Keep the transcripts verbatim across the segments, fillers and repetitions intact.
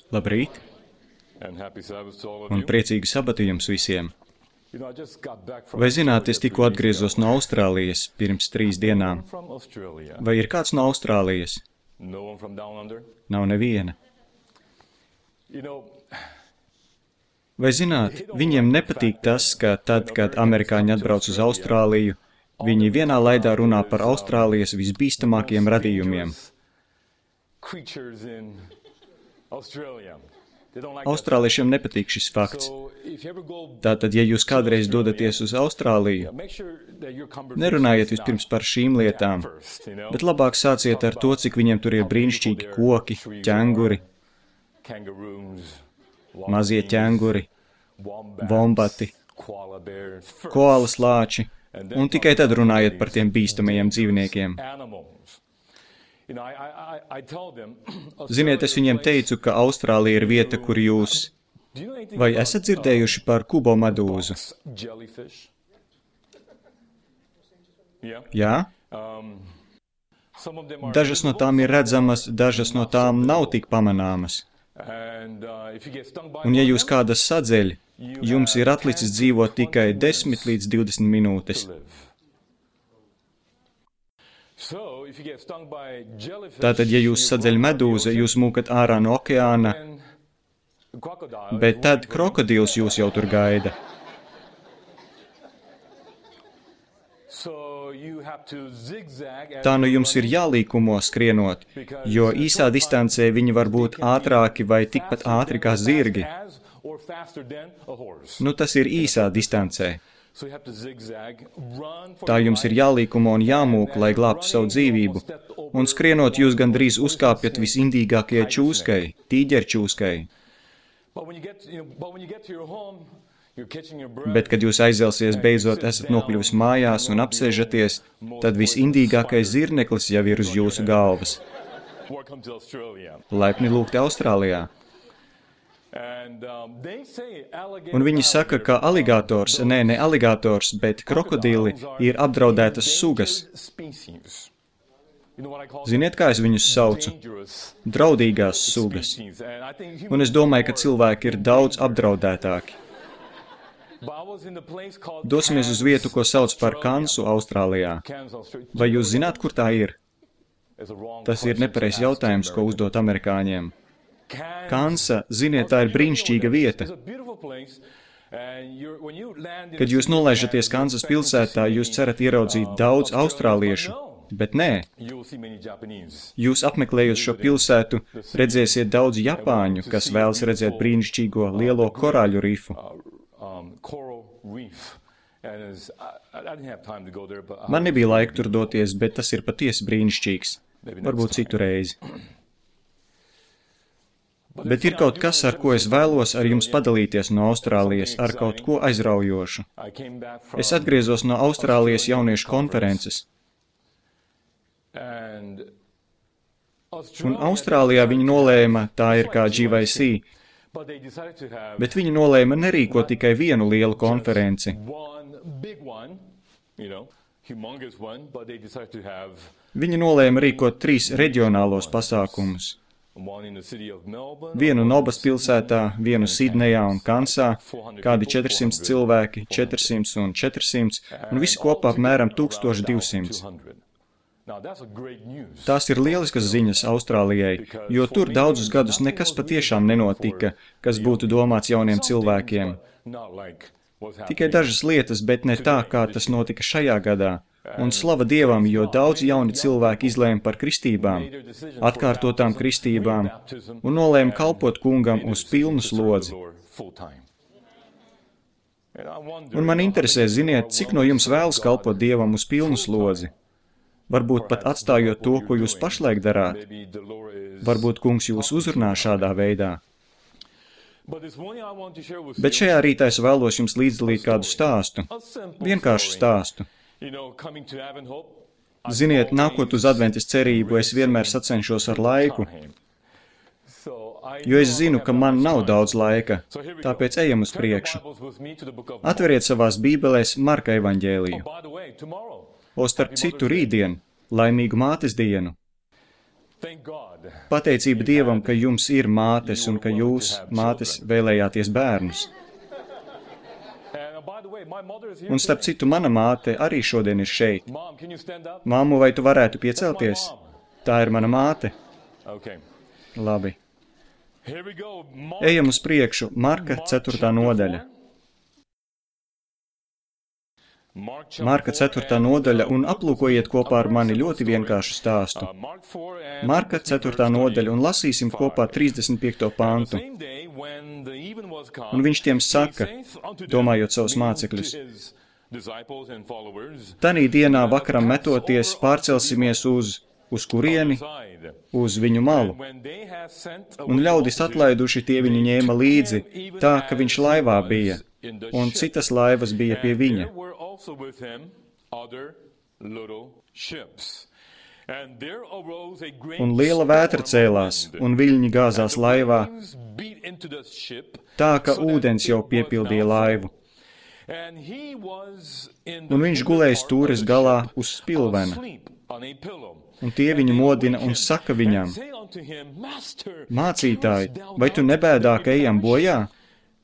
Labrīt, un priecīgu sabatu jums visiem. Vai zināt, es tikko atgriezos no Austrālijas pirms trīs dienām? Vai ir kāds no Austrālijas? Nav neviena. Vai zināt, viņiem nepatīk tas, ka tad, kad amerikāņi atbrauc uz Austrāliju, viņi vienā laidā runā par Austrālijas visbīstamākajiem radījumiem. Austrāliešiem nepatīk šis fakts. Tātad, ja jūs kādreiz dodaties uz Austrāliju, nerunājiet vispirms par šīm lietām, bet labāk sāciet ar to, cik viņiem tur ir brīnišķīgi koki, ķenguri, mazie ķenguri, vombati, koalas lāči, un tikai tad runājiet par tiem bīstamajiem dzīvniekiem. Ziniet, es viņiem teicu, ka Austrālija ir vieta, kur jūs... Vai esat dzirdējuši par kubo medūzu? Jā? Dažas no tām ir redzamas, dažas no tām nav tik pamanāmas. Un ja jūs kādas sadzeļ, jums ir atlicis dzīvot tikai desmit līdz divdesmit minūtes. Tātad, ja jūs sadzeļ medūza, jūs mūkat ārā no okeāna, bet tad krokodils jūs jau tur gaida. Tā nu jums ir jālīkumo skrienot, jo īsā distancē viņi var būt ātrāki vai tikpat ātri kā zirgi. Nu, tas ir īsā distancē. Tā jums ir jālīkumo un jāmūk, lai glābtu savu dzīvību, un skrienot jūs gandrīz uzkāpjat visindīgākajai čūskai, tīģerčūskai. Bet, kad jūs aizelsies beidzot esat nokļuvis mājās un apsēžaties, tad visindīgākais zirneklis jau ir uz jūsu galvas. Laipni lūgti Austrālijā. Un viņi saka, ka aligators, nē, ne aligators, bet krokodili ir apdraudētas sugas. Ziniet, kā es viņus saucu? Draudīgās sugas. Un es domāju, ka cilvēki ir daudz apdraudētāki. Dosimies uz vietu, ko sauc par Kansu, Austrālijā. Vai jūs zināt, kur tā ir? Tas ir nepareizs jautājums, ko uzdot amerikāņiem. Kansa, ziniet, tā ir brīnišķīga vieta. Kad jūs nolaižaties Kansas pilsētā, jūs cerat ieraudzīt daudz austrāliešu, bet nē. Jūs apmeklējot šo pilsētu, redzēsiet daudz japāņu, kas vēlas redzēt brīnišķīgo lielo korāļu rifu. Man nebija laika tur doties, bet tas ir patiesi brīnišķīgs. Varbūt citu reizi. Bet ir kaut kas, ar ko es vēlos ar jums padalīties no Austrālijas, ar kaut ko aizraujošu. Es atgriezos no Austrālijas jauniešu konferences. Un Austrālijā viņi nolēma, tā ir kā G Y C, bet viņi nolēma nerīkot tikai vienu lielu konferenci. Viņi nolēma rīkot trīs reģionālos pasākumus. Vienu Nobas pilsētā, vienu Sidnejā un Kansā, kādi četri simti cilvēki, četri simti un četri simti, un visi kopā apmēram tūkstoš divsimt. Tās ir lieliskas ziņas Austrālijai, jo tur daudzus gadus nekas patiešām nenotika, kas būtu domāts jauniem cilvēkiem. Tikai dažas lietas, bet ne tā, kā tas notika šajā gadā. Un slava Dievam, jo daudz jauni cilvēki izlēma par kristībām, atkārtotām kristībām, un nolēma kalpot kungam uz pilnu slodzi. Un man interesē, ziniet, cik no jums vēlas kalpot Dievam uz pilnu slodzi? Varbūt pat atstājot to, ko jūs pašlaik darāt. Varbūt kungs jūs uzrunā šādā veidā. Bet šajā rītā es vēlos jums līdzdalīt kādu stāstu, vienkāršu stāstu. Ziniet, nākot uz adventas cerību, es vienmēr sacenšos ar laiku, jo es zinu, ka man nav daudz laika, tāpēc ejam uz priekšu. Atveriet savās bībelēs Marka evaņģēliju. O starp citu rītdien, laimīgu mātes dienu. Pateicība Dievam, ka jums ir mātes un ka jūs, mātes, vēlējāties bērnus. Un starp citu, mana māte arī šodien ir šeit. Māmu, vai tu varētu piecelties? Tā ir mana māte. Labi. Ejam uz priekšu, Marka ceturtā nodaļa. Marka ceturtā nodaļa un aplūkojiet kopā ar mani ļoti vienkāršu stāstu. Marka ceturtā nodaļa un lasīsim kopā trīsdesmit piekto pantu. Un viņš tiem saka, domājot savus mācekļus, tanī dienā vakaram metoties pārcelsimies uz, uz kurieni, uz viņu malu. Un ļaudis atlaiduši tie viņu ņēma līdzi, tā, ka viņš laivā bija, un citas laivas bija pie viņa. Un liela vētra cēlās, un viļņi gāzās laivā, tā, ka ūdens jau piepildīja laivu. Un viņš gulēja stūres galā uz spilvena. Un tie viņu modina un saka viņam, mācītāji, vai tu nebēdā, ka ejam bojā?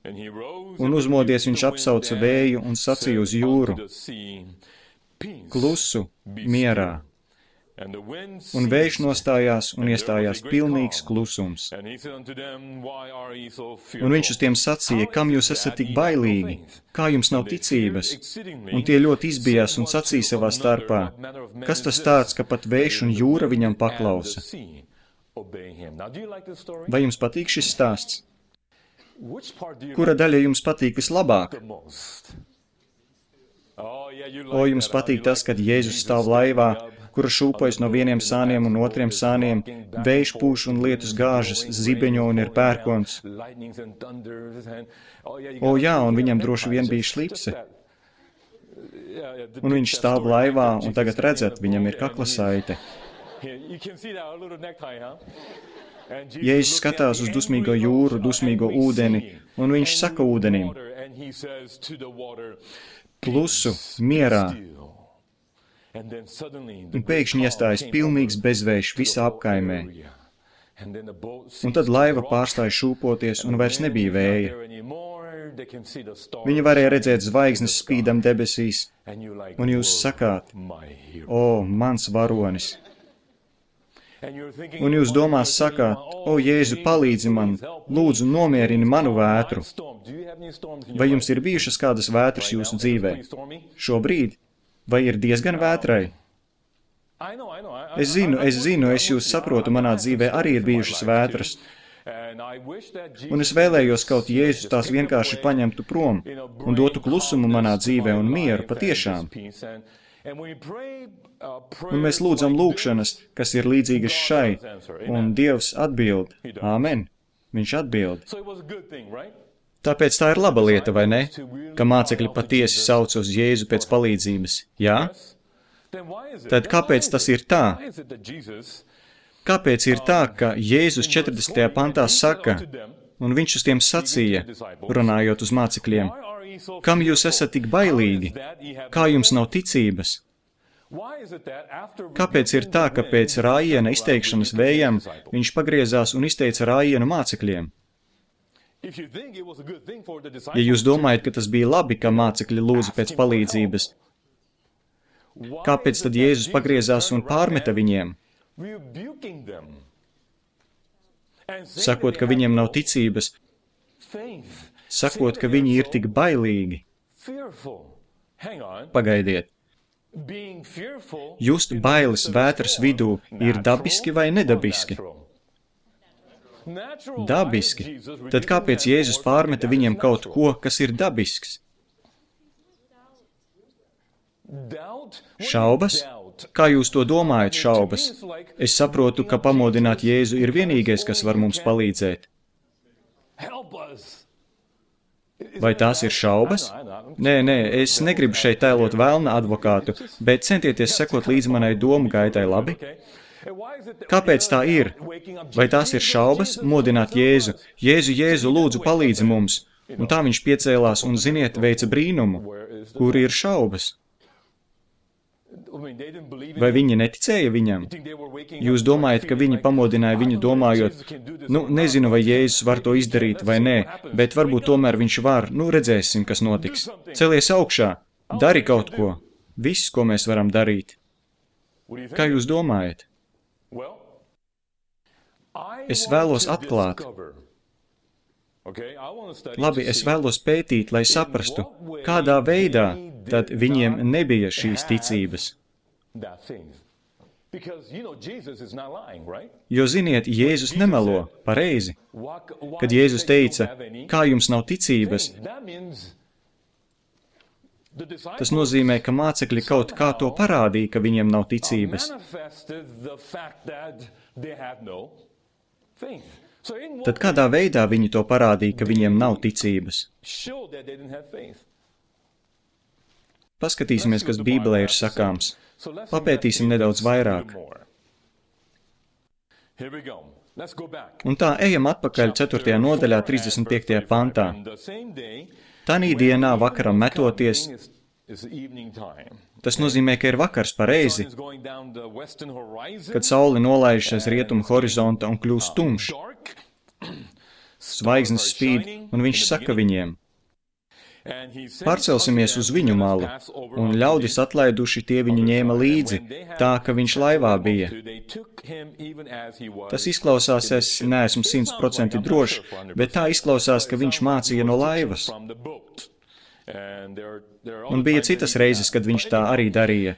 Un uzmodies viņš apsauca vēju un sacīja uz jūru, klusu, mierā. Un vējš nostājās un iestājās pilnīgs klusums. Un viņš uz tiem sacīja, kam jūs esat tik bailīgi, kā jums nav ticības? Un tie ļoti izbijās un sacīja savā starpā, kas tas tāds, ka pat vējš un jūra viņam paklausa? Vai jums patīk šis stāsts? Kura daļa jums patīk vislabāk? O, jums patīk tas, kad Jēzus stāv laivā, kura šūpojas no vieniem sāniem un otriem sāniem, vējš pūš un lietus gāžas, zibeņo un ir pērkons. O, jā, un viņam droši vien bija šlipse. Un viņš stāv laivā, un tagad redzat, viņam ir kaklasaite. Jēzus skatās uz dusmīgo jūru, dusmīgo ūdeni, un viņš saka ūdenim, klusu, mierā. Un pēkšņi iestājas pilnīgs bezvējš visā apkaimē. Un tad laiva pārstāja šūpoties, un vairs nebija vēja. Viņi varēja redzēt zvaigznes spīdam debesīs, un jūs sakāt, o, mans varonis. Un jūs domās sakāt, o, Jēzu, palīdzi man, lūdzu, nomierini manu vētru. Vai jums ir bijušas kādas vētras jūsu dzīvē? Šobrīd? Vai ir diezgan vētrai? Es zinu, es zinu, es jūs saprotu, manā dzīvē arī ir bijušas vētras. Un es vēlējos kaut Jēzus tās vienkārši paņemtu prom un dotu klusumu manā dzīvē un mieru patiešām. Un mēs lūdzam lūgšanas, kas ir līdzīgas šai, un Dievs atbild. Āmen. Viņš atbild. Tāpēc tā ir laba lieta, vai ne? Ka mācekļi patiesi sauc uz Jēzu pēc palīdzības. Jā? Tad kāpēc tas ir tā? Kāpēc ir tā, ka Jēzus četrdesmitajā pantā saka, un viņš uz tiem sacīja, runājot uz mācekļiem, kam jūs esat tik bailīgi? Kā jums nav ticības? Kāpēc ir tā, ka pēc rājiena izteikšanas vējam viņš pagriezās un izteica rājienu mācekļiem? Ja jūs domājat, ka tas bija labi, ka mācekļi lūdza pēc palīdzības, kāpēc tad Jēzus pagriezās un pārmeta viņiem? Sakot, ka viņiem nav ticības, sakot, ka viņi ir tik bailīgi. Pagaidiet. Just bailes vētras vidū ir dabiski vai nedabiski? Dabiski. Tad kāpēc Jēzus pārmeta viņiem kaut ko, kas ir dabisks? Šaubas? Kā jūs to domājat, šaubas? Es saprotu, ka pamodināt Jēzu ir vienīgais, kas var mums palīdzēt. Vai tās ir šaubas? Nē, nē, es negribu šeit tēlot velna advokātu, bet centieties sekot līdz manai domu gaitai, labi? Kāpēc tā ir? Vai tās ir šaubas? Modināt Jēzu. Jēzu, Jēzu, lūdzu, palīdzi mums. Un tā viņš piecēlās un, ziniet, veica brīnumu. Kur ir šaubas? Vai viņi neticēja viņam? Jūs domājat, ka viņi pamodināja viņu domājot, nu, nezinu, vai Jēzus var to izdarīt vai nē, bet varbūt tomēr viņš var, nu, redzēsim, kas notiks. Celies augšā, dari kaut ko, viss, ko mēs varam darīt. Kā jūs domājat? Es vēlos atklāt. Labi, es vēlos pētīt, lai saprastu, kādā veidā tad viņiem nebija šīs ticības. Jo, ziniet, Jēzus nemelo, pareizi. Kad Jēzus teica, kā jums nav ticības, tas nozīmē, ka mācekļi kaut kā to parādīja, ka viņiem nav ticības. Tad kādā veidā viņi to parādīja, ka viņiem nav ticības? Paskatīsimies, kas Bībelē ir sakāms. Papētīsim nedaudz vairāk. Un tā ejam atpakaļ ceturtajā nodaļā, trīsdesmit piektajā pantā. Tanī dienā vakaram metoties, tas nozīmē, ka ir vakars pareizi, kad saule nolaižas aiz rietumu horizonta un kļūst tumšs. Zvaigznes spīd, un viņš saka viņiem, pārcelsimies uz viņu malu, un ļaudis atlaiduši tie viņu ņēma līdzi, tā, ka viņš laivā bija. Tas izklausās, es neesmu simt procenti drošs, bet tā izklausās, ka viņš mācīja no laivas. Un bija citas reizes, kad viņš tā arī darīja.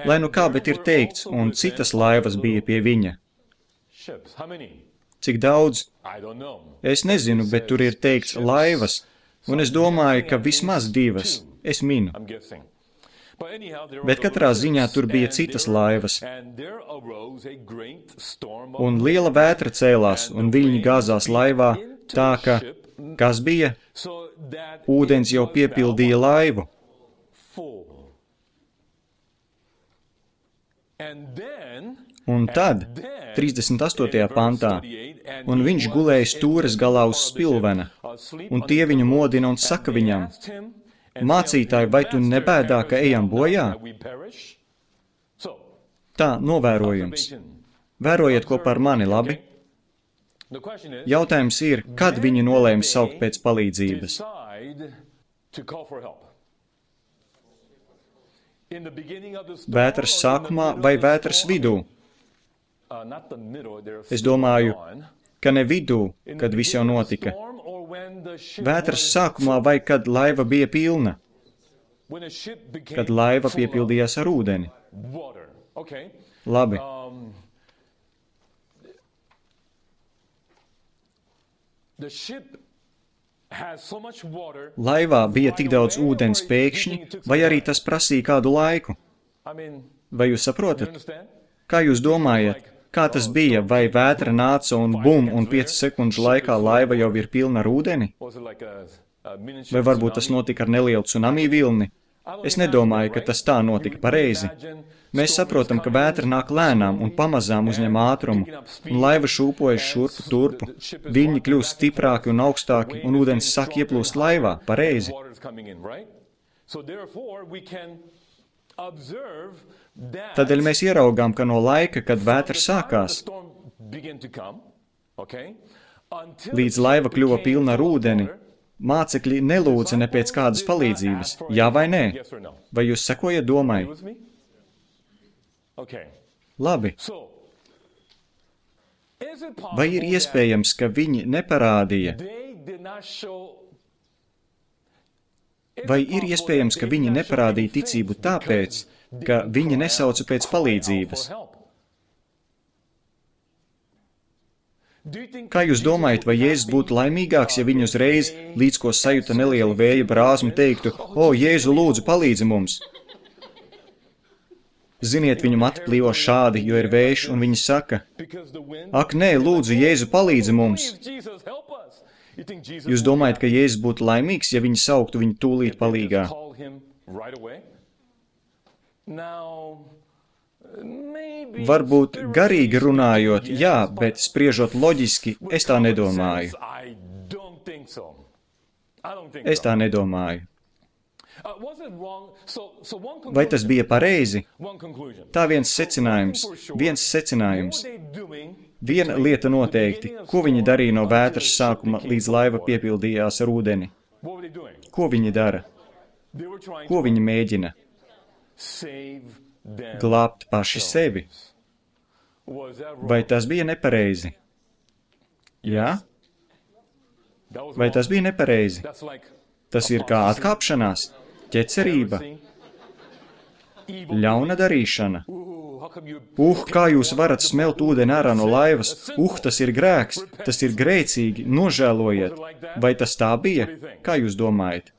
Lai nu kā, bet ir teikts, un citas laivas bija pie viņa. Cik daudz? Es nezinu, bet tur ir teikts laivas, un es domāju, ka vismaz divas, es minu. Bet katrā ziņā tur bija citas laivas, un liela vētra cēlās, un viļņi gāzās laivā, tā ka, kas bija? Ūdens jau piepildīja laivu. Un tad, trīsdesmit astotajā pantā, un viņš gulēja stūres galā uz spilvena, un tie viņu modina un saka viņam, mācītāji, vai tu nebēdā, ka ejam bojā? Tā, novērojums. Vērojiet kopā ar mani, labi? Jautājums ir, kad viņi nolēma saukt pēc palīdzības? Vētras sākumā vai vētras vidū? Es domāju, ka ne vidū, kad viss jau notika. Vētras sākumā vai kad laiva bija pilna? Kad laiva piepildījās ar ūdeni. Labi. Laivā bija tik daudz ūdens pēkšņi, vai arī tas prasīja kādu laiku? Vai jūs saprotat? Kā jūs domājat? Kā tas bija, vai vētra nāca un bum, un piecu sekundžu laikā laiva jau ir pilna ar ūdeni? Vai varbūt tas notika ar nelielu tsunami vilni? Es nedomāju, ka tas tā notika pareizi. Mēs saprotam, ka vētra nāk lēnām un pamazām uzņem ātrumu, un laiva šūpojas šurpu turpu, viļņi kļūst stiprāki un augstāki, un ūdens sāk ieplūst laivā, pareizi. Tādēļ mēs ieraugām, ka no laika, kad vētra sākās, līdz laiva kļuva pilna ar ūdeni, mācekļi nelūdza ne pēc kādas palīdzības, jā vai nē? Vai jūs sekojat domai? Labi. Vai ir iespējams, ka viņi neparādīja? Vai ir iespējams, ka viņi neparādīja ticību tāpēc, ka viņi nesauca pēc palīdzības? Kā jūs domājat, vai Jēzus būtu laimīgāks, ja viņi uzreiz, līdz ko sajuta nelielu vēja brāzmu, teiktu, o, Jēzu, lūdzu, palīdzi mums? Ziniet, viņu mati plīvo šādi, jo ir vējš, un viņi saka, ak, nē, lūdzu, Jēzu, palīdzi mums. Jūs domājat, ka Jēzus būtu laimīgs, ja viņi sauktu viņu tūlīt palīgā? Varbūt garīgi runājot, jā, bet spriežot loģiski, es tā nedomāju. Es tā nedomāju. Vai tas bija pareizi? Tā viens secinājums, viens secinājums. Viena lieta noteikti, ko viņi darīja no vētras sākuma, līdz laiva piepildījās ar ūdeni. Ko viņi dara? Ko viņi mēģina? Glābt paši sevi. Vai tas bija nepareizi? Jā? Vai tas bija nepareizi? Tas ir kā atkāpšanās, ķecerība, ļauna darīšana. Uh, kā jūs varat smelt ūdeni ārā no laivas? Uh, tas ir grēks, tas ir grēcīgi, nožēlojiet. Vai tas tā bija? Kā jūs domājat?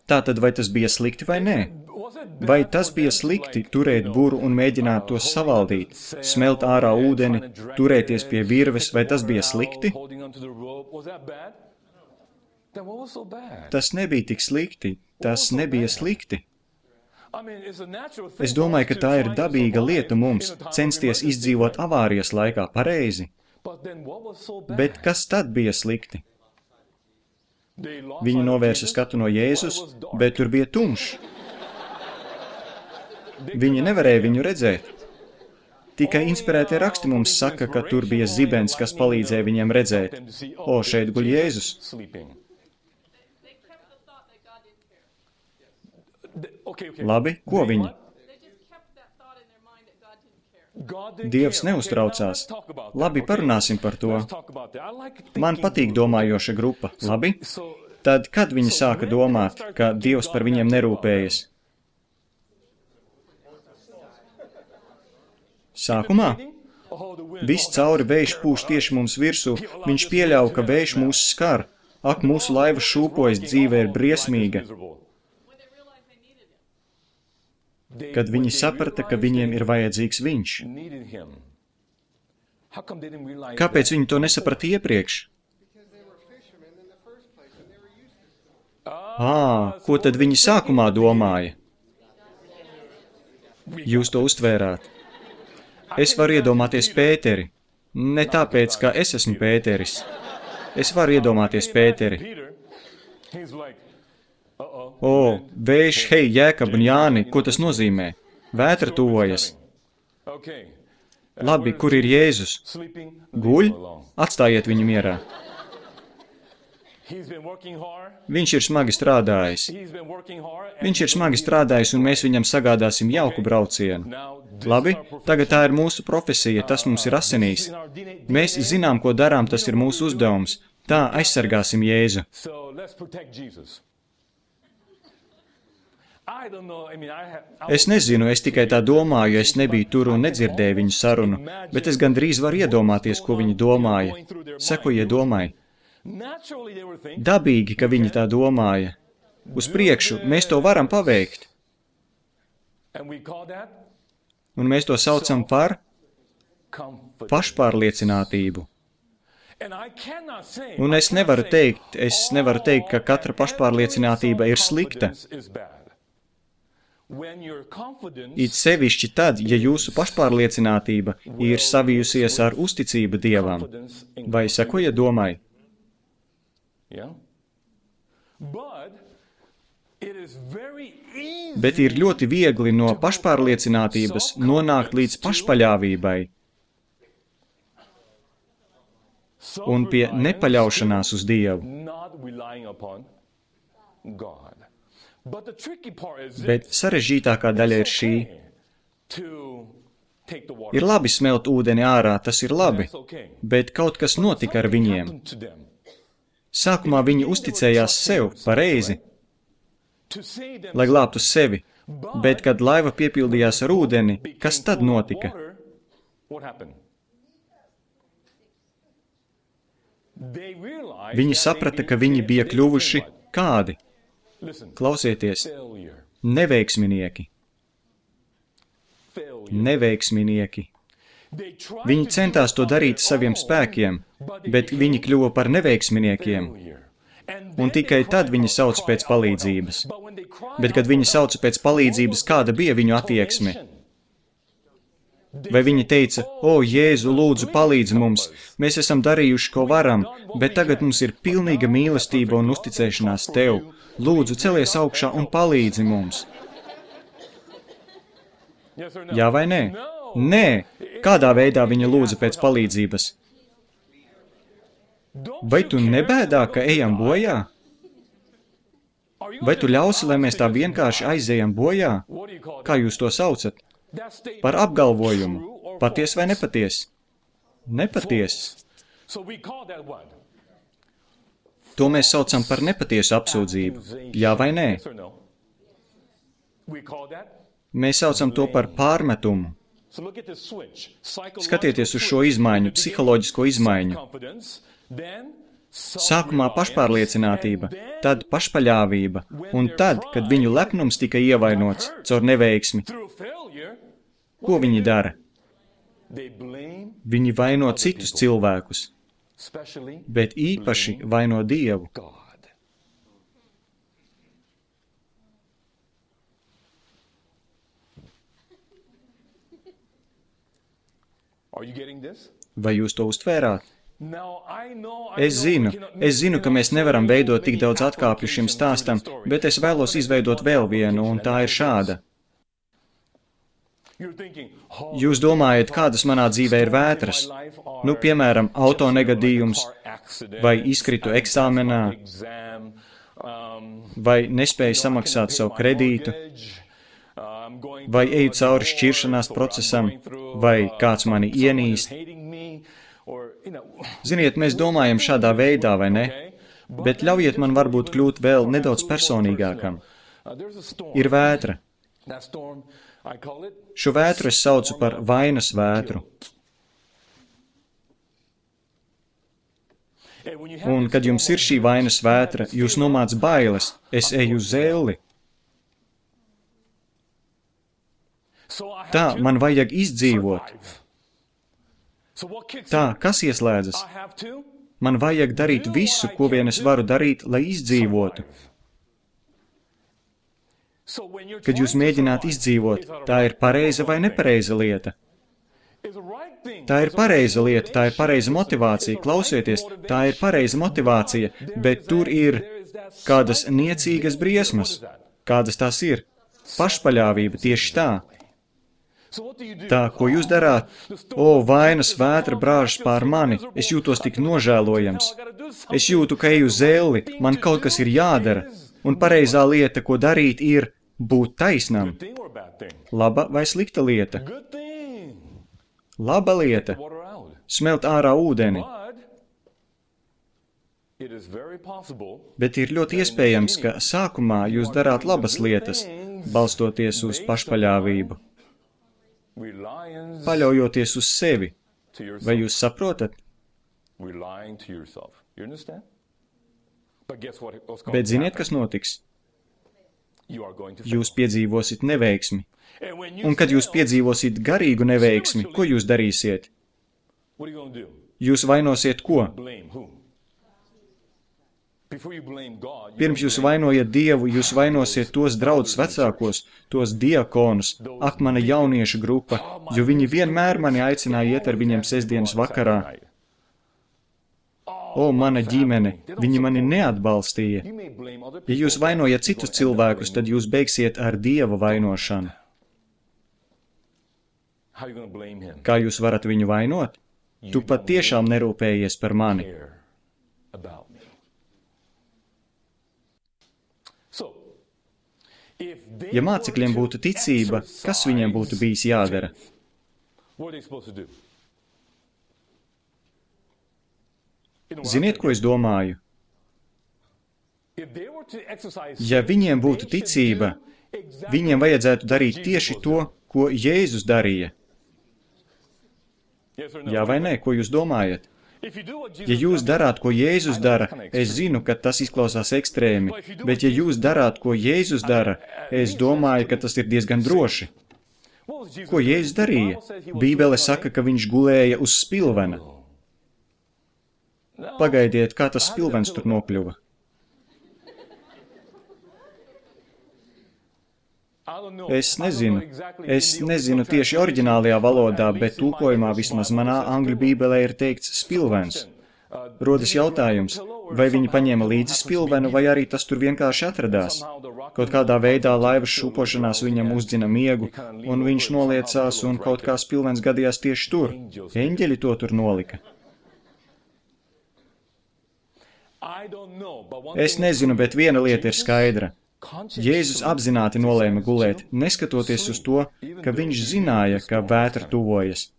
Tātad, vai tas bija slikti vai nē? Vai tas bija slikti turēt buru un mēģināt to savaldīt, smelt ārā ūdeni, turēties pie virves, vai tas bija slikti? Tas nebija tik slikti, tas nebija slikti. Es domāju, ka tā ir dabīga lieta mums, censties izdzīvot avārijas laikā pareizi. Bet kas tad bija slikti? Viņi novērsa skatu no Jēzus, bet tur bija tumšs. Viņi nevarēja viņu redzēt. Tikai inspirētie raksti mums saka, ka tur bija zibens, kas palīdzēja viņiem redzēt. O, šeit guļ Jēzus. Labi, ko viņi? Dievs neuztraucās. Labi, parunāsim par to. Man patīk domājoša grupa. Labi? Tad, kad viņi sāka domāt, ka Dievs par viņiem nerūpējas? Sākumā? Viss cauri vējš pūš tieši mums virsū. Viņš pieļauj, ka vējš mūs skar. Ak, mūsu laiva šūpojas, dzīve ir briesmīga. Kad viņi saprata, ka viņiem ir vajadzīgs viņš. Kāpēc viņi to nesaprata iepriekš? Ā, ko tad viņi sākumā domāja? Jūs to uztvērāt. Es varu iedomāties Pēteri. Ne tāpēc, ka es esmu Pēteris. Es varu iedomāties Pēteri. O, vējš, hei, Jēkab un Jāni, ko tas nozīmē? Vētra tuvojas. Labi, kur ir Jēzus? Guļ? Atstājiet viņu mierā. Viņš ir smagi strādājis. Viņš ir smagi strādājis, un mēs viņam sagādāsim jauku braucienu. Labi, tagad tā ir mūsu profesija, tas mums ir asinīs. Mēs zinām, ko darām, tas ir mūsu uzdevums. Tā aizsargāsim Jēzu. Es nezinu, es tikai tā domāju, es nebiju tur un nedzirdēju viņu sarunu, bet es gandrīz varu iedomāties, ko viņi domāja. Sekojiet domai. Dabīgi, ka viņi tā domāja. Uz priekšu, mēs to varam paveikt. Un mēs to saucam par pašpārliecinātību. Un es nevaru teikt, es nevaru teikt, ka katra pašpārliecinātība ir slikta. It sevišķi tad, ja jūsu pašpārliecinātība ir savijusies ar uzticību Dievam. Vai sekojiet domai? Bet ir ļoti viegli no pašpārliecinātības nonākt līdz pašpaļāvībai un pie nepaļaušanās uz Dievu. Bet sarežģītākā daļa ir šī. Ir labi smelt ūdeni ārā, tas ir labi, bet kaut kas notika ar viņiem. Sākumā viņi uzticējās sev, pareizi, lai glābtu sevi, bet kad laiva piepildījās ar ūdeni, kas tad notika? Viņi saprata, ka viņi bija kļuvuši kādi? Klausieties, neveiksminieki. Neveiksminieki. Viņi centās to darīt saviem spēkiem, bet viņi kļuva par neveiksminiekiem. Un tikai tad viņi sauc pēc palīdzības. Bet, kad viņi sauca pēc palīdzības, kāda bija viņu attieksme? Vai viņi teica, o, Jēzu, lūdzu, palīdz mums, mēs esam darījuši, ko varam, bet tagad mums ir pilnīga mīlestība un uzticēšanās tev. Lūdzu, celies augšā un palīdzi mums. Jā vai nē? Nē. Kādā veidā viņa lūdza pēc palīdzības? Vai tu nebēdā, ka ejam bojā? Vai tu ļausi, lai mēs tā vienkārši aizejam bojā? Kā jūs to saucat? Par apgalvojumu. Paties vai nepaties? Nepaties. To mēs saucam par nepatiesu apsūdzību. Jā vai nē? Mēs saucam to par pārmetumu. Skatieties uz šo izmaiņu, psiholoģisko izmaiņu. Sākumā pašpārliecinātība, tad pašpaļāvība, un tad, kad viņu lepnums tika ievainots caur neveiksmi, ko viņi dara? Viņi vaino citus cilvēkus, bet īpaši vaino Dievu. Vai jūs to uztvērāt? Es zinu, es zinu, ka mēs nevaram veidot tik daudz atkāpju šim stāstam, bet es vēlos izveidot vēl vienu, un tā ir šāda. Jūs domājat, kādas manā dzīvē ir vētras? Nu, piemēram, auto negadījums, vai izkritu eksāmenā, vai nespēju samaksāt savu kredītu, vai eju cauri šķiršanās procesam, vai kāds mani ienīst. Ziniet, mēs domājam šādā veidā, vai ne? Bet ļaujiet man varbūt kļūt vēl nedaudz personīgākam. Ir vētra. Šo vētru es saucu par vainas vētru. Un, kad jums ir šī vainas vētra, jūs nomāc bailes, es eju uz zelli. Tā, man vajag izdzīvot. Tā, kas ieslēdzas? Man vajag darīt visu, ko vien es varu darīt, lai izdzīvotu. Kad jūs mēģināt izdzīvot, tā ir pareiza vai nepareiza lieta? Tā ir pareiza lieta, tā ir pareiza motivācija. Klausieties, tā ir pareiza motivācija, bet tur ir kādas niecīgas briesmas. Kādas tās ir? Pašpaļāvība tieši tā. Tā, ko jūs darāt? O, vainas vētra brāžas pār mani, es jūtos tik nožēlojams. Es jūtu, ka eju zelli, man kaut kas ir jādara, un pareizā lieta, ko darīt, ir būt taisnam. Laba vai slikta lieta? Laba lieta. Smelt ārā ūdeni. Bet ir ļoti iespējams, ka sākumā jūs darāt labas lietas, balstoties uz pašpaļāvību. Paļaujoties uz sevi. Vai jūs saprotat? Bet ziniet, kas notiks? Jūs piedzīvosit neveiksmi. Un kad jūs piedzīvosit garīgu neveiksmi, ko jūs darīsiet? Jūs vainosiet ko? Pirms jūs vainojat Dievu, jūs vainosiet tos draudzus vecākos, tos diakonus, ak, mana jauniešu grupa, jo viņi vienmēr mani aicināja iet ar viņiem sestdienas vakarā. O, mana ģimene, viņi mani neatbalstīja. Ja jūs vainojat citus cilvēkus, tad jūs beigsiet ar Dieva vainošanu. Kā jūs varat viņu vainot? Tu pat tiešām nerūpējies par mani. Ja mācekļiem būtu ticība, kas viņiem būtu bijis jādara? Ziniet, ko es domāju? Ja viņiem būtu ticība, viņiem vajadzētu darīt tieši to, ko Jēzus darīja. Jā vai nē, ko jūs domājat? Ja jūs darāt, ko Jēzus dara, es zinu, ka tas izklausās ekstrēmi, bet ja jūs darāt, ko Jēzus dara, es domāju, ka tas ir diezgan droši. Ko Jēzus darīja? Bībele saka, ka viņš gulēja uz spilvena. Pagaidiet, kā tas spilvens tur nokļuva. Es nezinu. Es nezinu tieši oriģinālajā valodā, bet tulkojumā vismaz manā angļu bībelē ir teikts spilvens. Rodas jautājums, vai viņi paņēma līdzi spilvenu, vai arī tas tur vienkārši atradās. Kaut kādā veidā laivas šūpošanās viņam uzdzina miegu, un viņš noliecās, un kaut kā spilvens gadījās tieši tur. Eņģeļi to tur nolika. Es nezinu, bet viena lieta ir skaidra. Jēzus apzināti nolēma gulēt, neskatoties uz to, ka viņš zināja, ka vētra tuvojas.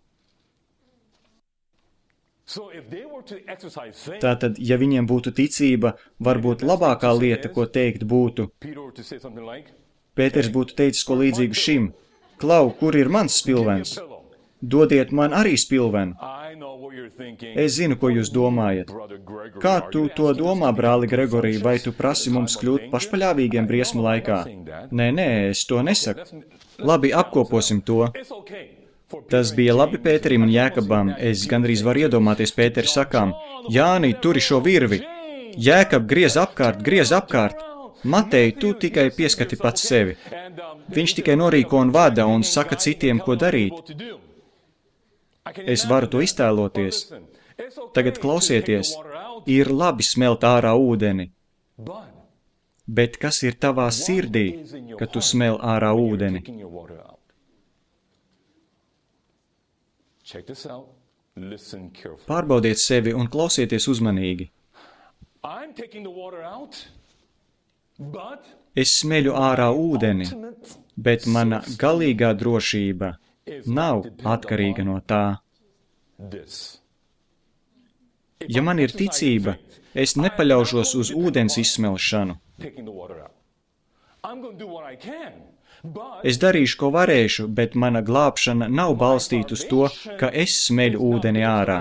Tātad, ja viņiem būtu ticība, varbūt labākā lieta, ko teikt būtu, Pēters būtu teicis ko līdzīgu šim. Klau, kur ir mans spilvens? Dodiet man arī spilvenu. Es zinu, ko jūs domājat. Kā tu to domā, brāli Gregorī, vai tu prasi mums kļūt pašpaļāvīgiem briesmu laikā? Nē, nē, es to nesaku. Labi, apkoposim to. Tas bija labi Pēterim un Jēkabam. Es gandrīz varu iedomāties Pēteri sakām, Jāni, turi šo virvi. Jēkab, griez apkārt, griez apkārt. Matei, tu tikai pieskati pats sevi. Viņš tikai norīko un vada un saka citiem, ko darīt. Es varu to iztēloties. Tagad klausieties, ir labi smelt ārā ūdeni. Bet kas ir tavā sirdī, kad tu smel ārā ūdeni? Pārbaudiet sevi un klausieties uzmanīgi. Es smeļu ārā ūdeni, bet mana galīgā drošība nav atkarīga no tā. Ja man ir ticība, es nepaļaušos uz ūdens izsmelšanu. Es darīšu, ko varēšu, bet mana glābšana nav balstīta uz to, ka es smeļu ūdeni ārā.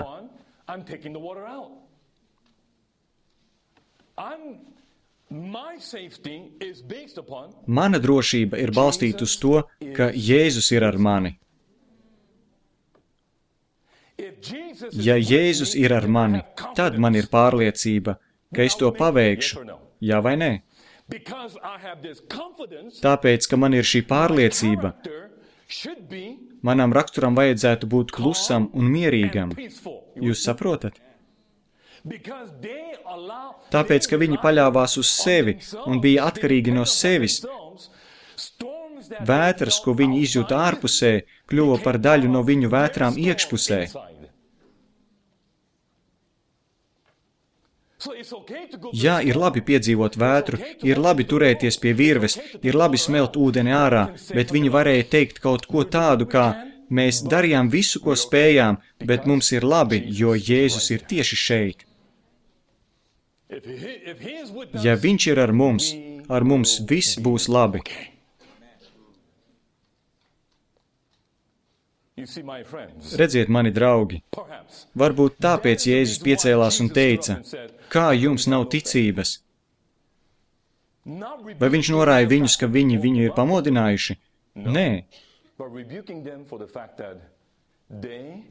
Mana drošība ir balstīta uz to, ka Jēzus ir ar mani. Ja Jēzus ir ar mani, tad man ir pārliecība, ka es to paveikšu, jā vai nē? Tāpēc, ka man ir šī pārliecība, manam raksturam vajadzētu būt klusam un mierīgam. Jūs saprotat? Tāpēc, ka viņi paļāvās uz sevi un bija atkarīgi no sevis, vētras, ko viņi izjūta ārpusē, kļuva par daļu no viņu vētrām iekšpusē. Jā, ir labi piedzīvot vētru, ir labi turēties pie virves, ir labi smelt ūdeni ārā, bet viņi varēja teikt kaut ko tādu, kā mēs darījām visu, ko spējām, bet mums ir labi, jo Jēzus ir tieši šeit. Ja viņš ir ar mums, ar mums viss būs labi. Redziet, mani draugi, varbūt tāpēc Jēzus piecēlās un teica, kā jums nav ticības? Vai viņš norāja viņus, ka viņi viņu ir pamodinājuši? Nē.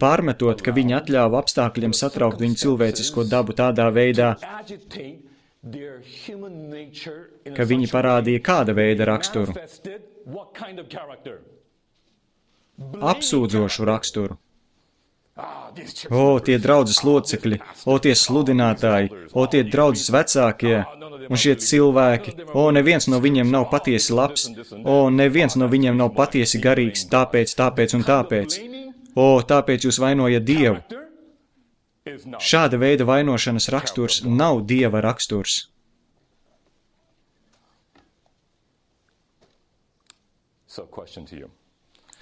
Pārmetot, ka viņi atļāva apstākļiem satraukt viņu cilvēcisko dabu tādā veidā, ka viņi parādīja kāda veida raksturu. Apsūdzošu raksturu. O, tie draudzes locekļi, o, tie sludinātāji, o, tie draudzes vecākie, un šie cilvēki, o, neviens no viņiem nav patiesi labs, o, neviens no viņiem nav patiesi garīgs, tāpēc, tāpēc un tāpēc. O, tāpēc jūs vainojat Dievu. Šāda veida vainošanas raksturs nav Dieva raksturs.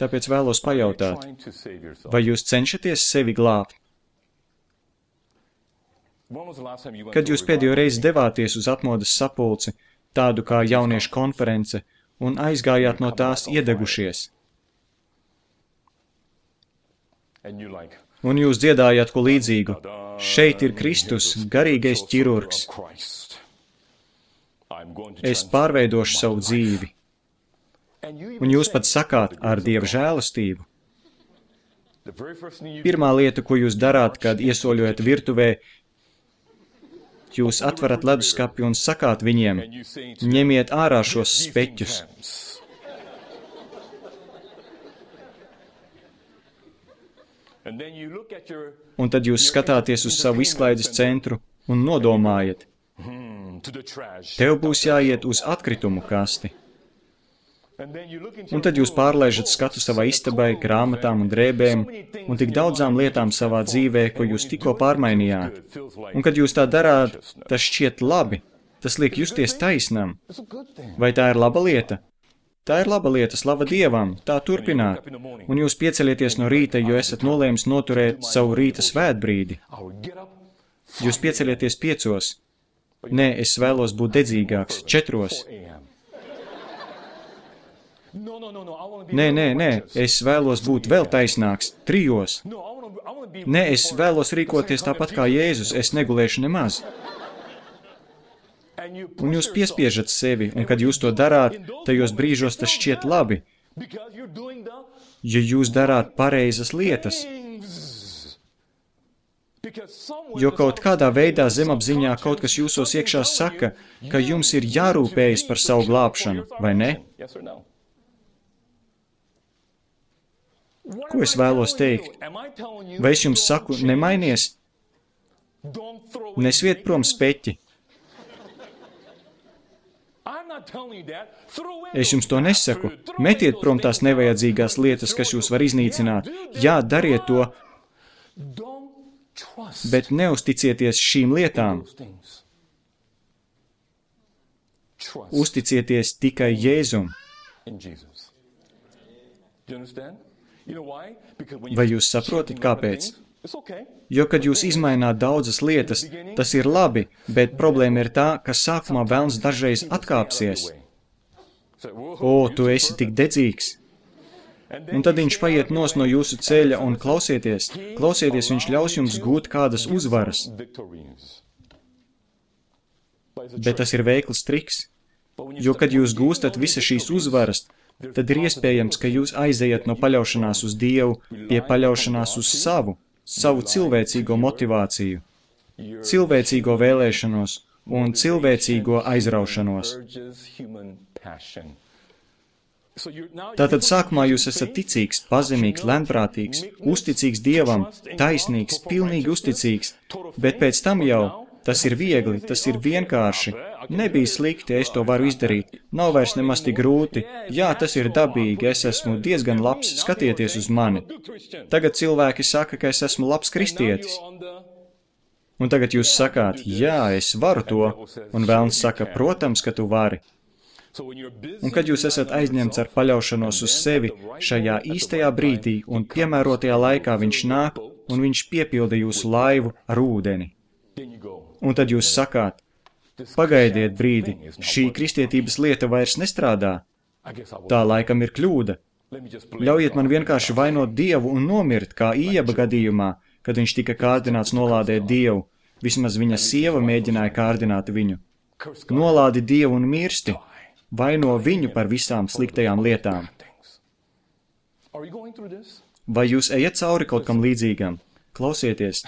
Tāpēc vēlos pajautāt, vai jūs cenšaties sevi glābt? Kad jūs pēdējo reizi devāties uz atmodas sapulci, tādu kā jauniešu konference, un aizgājāt no tās iedegušies? Un jūs dziedājāt ko līdzīgu. Šeit ir Kristus, garīgais ķirurgs. Es pārveidošu savu dzīvi. Un jūs pat sakāt ar Dieva žēlastību. Pirmā lieta, ko jūs darāt, kad iesoļojat virtuvē, jūs atverat leduskapi un sakāt viņiem, ņemiet ārā šos speķus. Un tad jūs skatāties uz savu izklaides centru un nodomājat, tev būs jāiet uz atkritumu kasti. Un tad jūs pārlaižat skatu savai istabai, grāmatām un drēbēm un tik daudzām lietām savā dzīvē, ko jūs tikko pārmainījāt. Un kad jūs tā darāt, tas šķiet labi, tas liek justies taisnam. Vai tā ir laba lieta? Tā ir laba lieta, slava Dievam, tā turpināt. Un jūs pieceļieties no rīta, jo esat nolēmis noturēt savu rīta svētbrīdi. Jūs pieceļieties piecos. Nē, es vēlos būt dedzīgāks, četros. Nē, nē, nē, es vēlos būt vēl taisnāks, trijos. Nē, es vēlos rīkoties tāpat kā Jēzus, es negulēšu nemaz. Un jūs piespiežat sevi, un kad jūs to darāt, tajos brīžos tas šķiet labi, jo jūs darāt pareizas lietas. Jo kaut kādā veidā zemapziņā kaut kas jūsos iekšā saka, ka jums ir jārūpējas par savu glābšanu, vai ne? Ko es vēlos teikt? Vai es jums saku, nemainies? Nesviet prom speķi. Es jums to nesaku. Metiet prom tās nevajadzīgās lietas, kas jūs var iznīcināt. Jā, dariet to, bet neusticieties šīm lietām. Uzticieties tikai Jēzum. Vai jūs saprotat, kāpēc? Jo, kad jūs izmaināt daudzas lietas, tas ir labi, bet problēma ir tā, ka sākumā velns dažreiz atkāpsies. O, tu esi tik dedzīgs! Un tad viņš paiet nos no jūsu ceļa un klausieties, klausieties, viņš ļaus jums gūt kādas uzvaras. Bet tas ir veikls triks, jo, kad jūs gūstat visas šīs uzvaras, tad ir iespējams, ka jūs aizejat no paļaušanās uz Dievu pie paļaušanās uz savu, savu cilvēcīgo motivāciju, cilvēcīgo vēlēšanos un cilvēcīgo aizraušanos. Tātad sākumā jūs esat ticīgs, pazemīgs, lēnprātīgs, uzticīgs Dievam, taisnīgs, pilnīgi uzticīgs, bet pēc tam jau tas ir viegli, tas ir vienkārši. Nebija slikti, es to varu izdarīt. Nav vairs nemaz tik grūti. Jā, tas ir dabīgi, es esmu diezgan labs, skatieties uz mani. Tagad cilvēki saka, ka es esmu labs kristietis. Un tagad jūs sakāt, jā, es varu to. Un velns saka, protams, ka tu vari. Un kad jūs esat aizņemts ar paļaušanos uz sevi, šajā īstajā brīdī un piemērotajā laikā viņš nāk un viņš piepilda jūsu laivu ar ūdeni. Un tad jūs sakāt, pagaidiet brīdi, šī kristietības lieta vairs nestrādā. Tā laikam ir kļūda. Ļaujiet man vienkārši vainot Dievu un nomirt, kā Ījaba gadījumā, kad viņš tika kārdināts nolādēt Dievu. Vismaz viņa sieva mēģināja kārdināt viņu. Nolādi Dievu un mirsti. Vaino viņu par visām sliktajām lietām. Vai jūs ejat cauri kaut kam līdzīgam? Klausieties.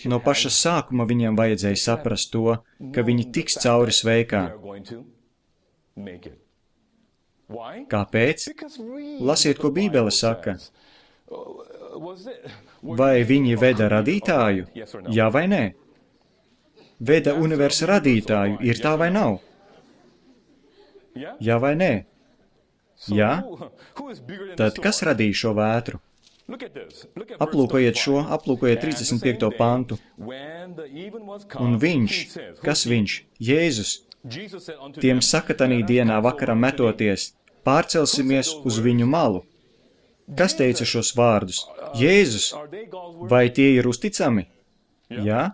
No paša sākuma viņiem vajadzēja saprast to, ka viņi tiks cauri sveikā. Kāpēc? Lasiet, ko Bībele saka. Vai viņi veda radītāju? Jā vai nē? Veda universa radītāju, ir tā vai nav? Jā vai nē? Jā? Tad kas radīja šo vētru? Aplūkojiet šo, aplūkojiet trīsdesmit piekto pantu. Un viņš, kas viņš? Jēzus. Tiem saka tanī dienā vakaram metoties, pārcelsimies uz viņu malu. Kas teica šos vārdus? Jēzus. Vai tie ir uzticami? Jā?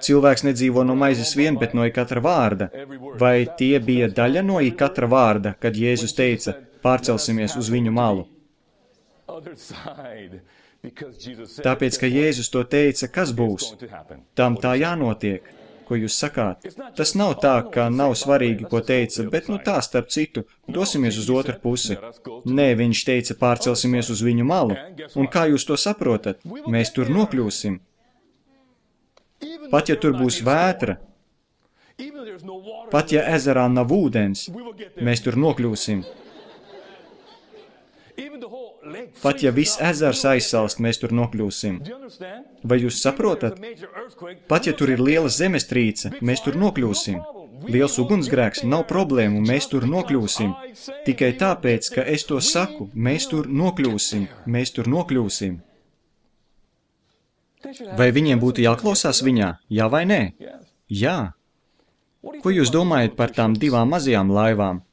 Cilvēks nedzīvo no maizes vien, bet no katra vārda. Vai tie bija daļa no katra vārda, kad Jēzus teica, pārcelsimies uz viņu malu? Tāpēc, ka Jēzus to teica, kas būs? Tam tā jānotiek, ko jūs sakāt. Tas nav tā, ka nav svarīgi, ko teica, bet nu tā starp citu, dosimies uz otru pusi. Nē, viņš teica, pārcelsimies uz viņu malu. Un kā jūs to saprotat? Mēs tur nokļūsim. Pat ja tur būs vētra, pat ja ezerā nav ūdens, mēs tur nokļūsim. Pat ja viss ezers aizsalst, mēs tur nokļūsim. Vai jūs saprotat? Pat ja tur ir liela zemestrīce, mēs tur nokļūsim. Liels ugunsgrēks nav problēmu, mēs tur nokļūsim. Tikai tāpēc, ka es to saku, mēs tur nokļūsim, mēs tur nokļūsim. Vai viņiem būtu jāklausās viņā? Jā vai nē? Jā. Ko jūs domājat par tām divām mazajām laivām?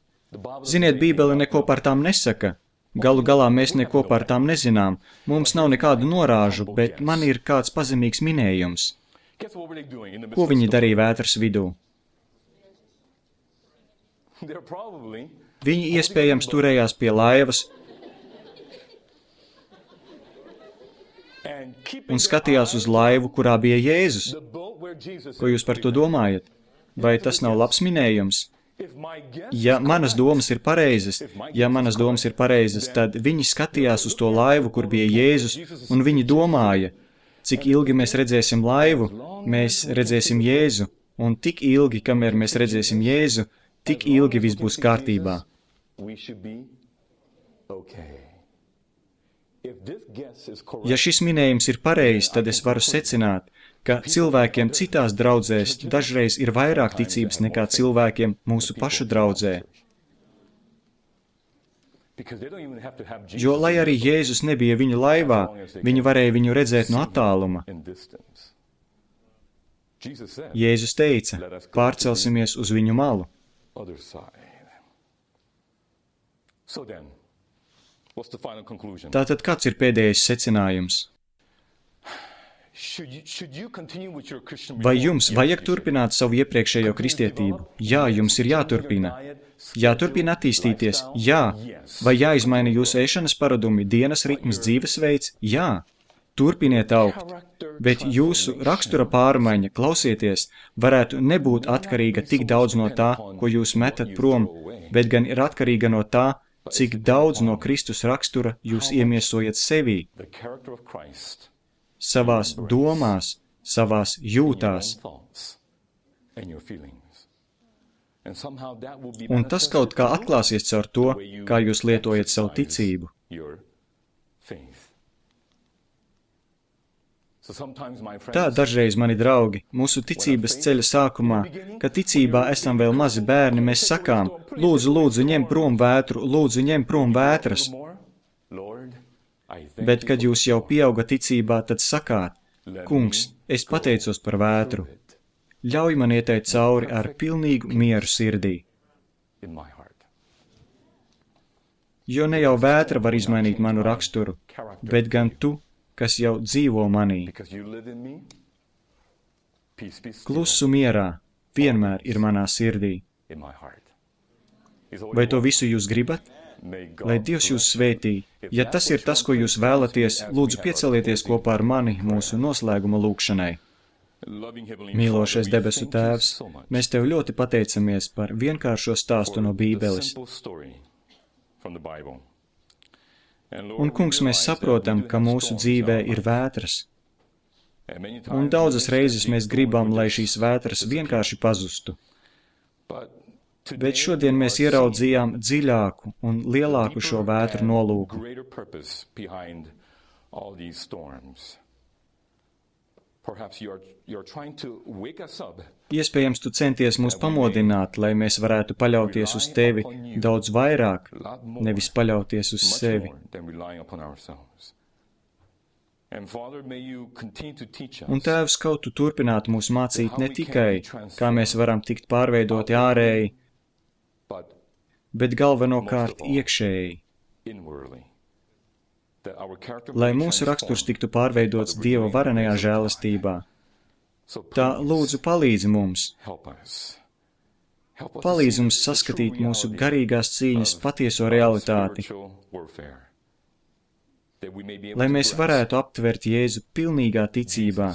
Ziniet, Bībele neko par tām nesaka. Galu galā mēs neko par tām nezinām. Mums nav nekādu norāžu, bet man ir kāds pazemīgs minējums. Ko viņi darīja vētras vidū? Viņi iespējams turējās pie laivas un skatījās uz laivu, kurā bija Jēzus. Ko jūs par to domājat? Vai tas nav labs minējums? Ja manas domas ir pareizas, ja manas domas ir pareizas, tad viņi skatījās uz to laivu, kur bija Jēzus, un viņi domāja, cik ilgi mēs redzēsim laivu, mēs redzēsim Jēzu, un tik ilgi, kamēr mēs redzēsim Jēzu, tik ilgi viss būs kārtībā. Ja šis minējums ir pareizs, tad es varu secināt, ka cilvēkiem citās draudzēs dažreiz ir vairāk ticības nekā cilvēkiem mūsu pašu draudzē. Jo, lai arī Jēzus nebija viņu laivā, viņi varēja viņu redzēt no attāluma. Jēzus teica, pārcelsimies uz viņu malu. Tātad kāds ir pēdējais secinājums? Vai jums vajag turpināt savu iepriekšējo kristietību? Jā, jums ir jāturpina. Jāturpina attīstīties? Jā. Vai jāizmaina jūsu ēšanas paradumi, dienas ritms, dzīvesveids? Jā. Turpiniet augt. Bet jūsu rakstura pārmaiņa, klausieties, varētu nebūt atkarīga tik daudz no tā, ko jūs metat prom, bet gan ir atkarīga no tā, cik daudz no Kristus rakstura jūs iemiesojat sevī. Savās domās, savās jūtās. Un tas kaut kā atklāsies caur to, kā jūs lietojat savu ticību. Tā dažreiz, mani draugi, mūsu ticības ceļa sākumā, kad ticībā esam vēl mazi bērni, mēs sakām, lūdzu, lūdzu, ņem prom vētru, lūdzu, ņem prom vētras. Bet, kad jūs jau pieauga ticībā, tad sakāt, kungs, es pateicos par vētru. Ļauj man ieteikt cauri ar pilnīgu mieru sirdī. Jo ne jau vētra var izmainīt manu raksturu, bet gan tu, kas jau dzīvo manī. Klusu mierā vienmēr ir manā sirdī. Vai to visu jūs gribat? Lai Dievs jūs svētī. Ja tas ir tas, ko jūs vēlaties, lūdzu piecelieties kopā ar mani mūsu noslēguma lūkšanai. Mīlošais debesu Tēvs, mēs Tev ļoti pateicamies par vienkāršo stāstu no Bībeles. Un, kungs, mēs saprotam, ka mūsu dzīvē ir vētras. Un daudzas reizes mēs gribam, lai šīs vētras vienkārši pazustu. Bet šodien mēs ieraudzījām dziļāku un lielāku šo vētru nolūku. Iespējams, tu centies mūs pamodināt, lai mēs varētu paļauties uz Tevi daudz vairāk, nevis paļauties uz sevi. Un, Tēvs, kaut tu turpinātu mūs mācīt ne tikai, kā mēs varam tikt pārveidoti ārēji, bet galvenokārt iekšēji, lai mūsu raksturs tiktu pārveidots Dieva varenajā žēlastībā. Tā lūdzu palīdzi mums. Palīdzi mums saskatīt mūsu garīgās cīņas patieso realitāti, lai mēs varētu aptvert Jēzu pilnīgā ticībā,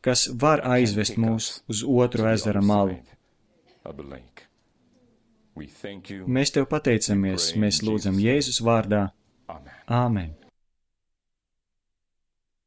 kas var aizvest mūs uz otru ezera malu. Mēs Tev pateicamies, mēs lūdzam Jēzus vārdā. Āmen.